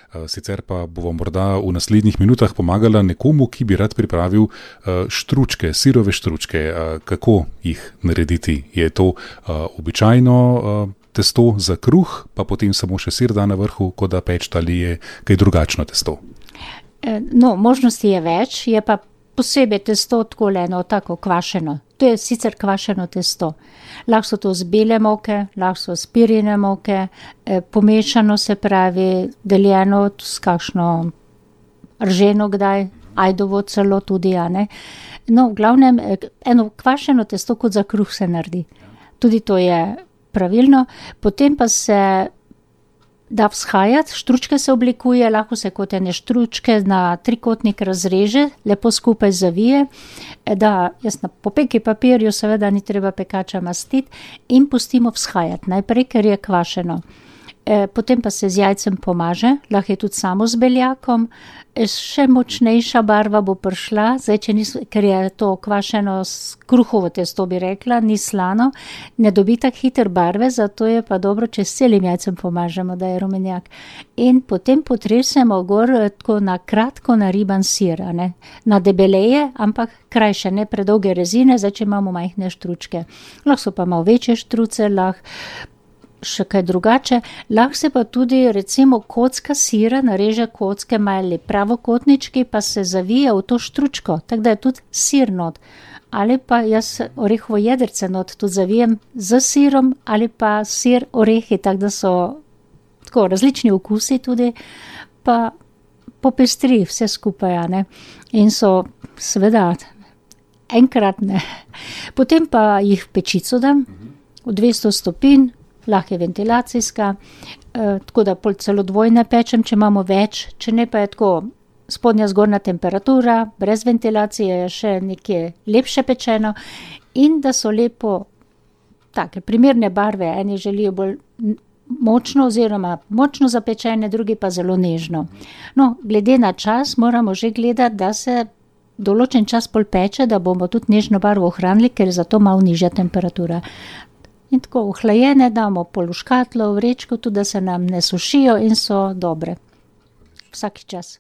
Sicer pa bomo morda v naslednjih minutah pomagala nekomu, ki bi rad pripravil štručke, sirove štručke. Kako jih narediti? Je to običajno testo za kruh, pa potem samo še sir da na vrhu, ko da peč, ali je kaj drugačno testo? No, možnosti je več, je pa posebej testo tako kvašeno. To je sicer kvašeno testo. Lahko so to z bele moke, lahko so z pirine moke, pomešano, se pravi, deljeno s kakšno rženo kdaj, ajdovo celo tudi, a ne. No, v glavnem, eno kvašeno testo kot za kruh se naredi. Tudi to je pravilno. Potem pa se da vzhajati, štručke se oblikuje, lahko se kot ene štručke na trikotnik razreže, lepo skupaj zavije, da jaz na popeki papirju seveda ni treba pekača mastiti in pustimo vzhajati najprej, ker je kvašeno. Potem pa se z jajcem pomaže, lahko je tudi samo z beljakom, še močnejša barva bo prišla, zdaj, ker je to kvašeno s kruhovo testo, bi rekla, ni slano, ne dobi tak hiter barve, zato je pa dobro, če s celim jajcem pomažemo, da je rumenjak. In potem potresemo gor tako na kratko nariban sir, ne? Na debeleje, ampak krajše, ne predolge rezine, zdaj, če imamo majhne štručke. Lahko so pa malo večje štruce, lahko še kaj drugače, lahko se pa tudi recimo kocka sira, nareže kocke mali pravokotnički, pa se zavije v to štručko, tako da je tudi sir not. Ali pa jaz orehovo jedrce not tudi zavijem z sirom, ali pa sir orehi, tako da so tako različni okusi tudi, pa popestri vse skupaj, ne. In so seveda enkratne. Potem pa jih v pečico dam, v 200 stopinj, lahko je ventilacijska, tako da pol celo dvojne pečem, če imamo več, če ne pa je tako spodnja zgornja temperatura, brez ventilacije je še nekje lepše pečeno in da so lepo take primerne barve, eni želijo bolj močno oziroma močno zapečene, drugi pa zelo nežno. No, glede na čas moramo že gledati, da se določen čas pol peče, da bomo tudi nežno barvo ohranili, ker je zato malo nižja temperatura. In tako ohlajene damo pol v škatlo, v vrečko, tudi da se nam ne sušijo in so dobre. Vsak čas.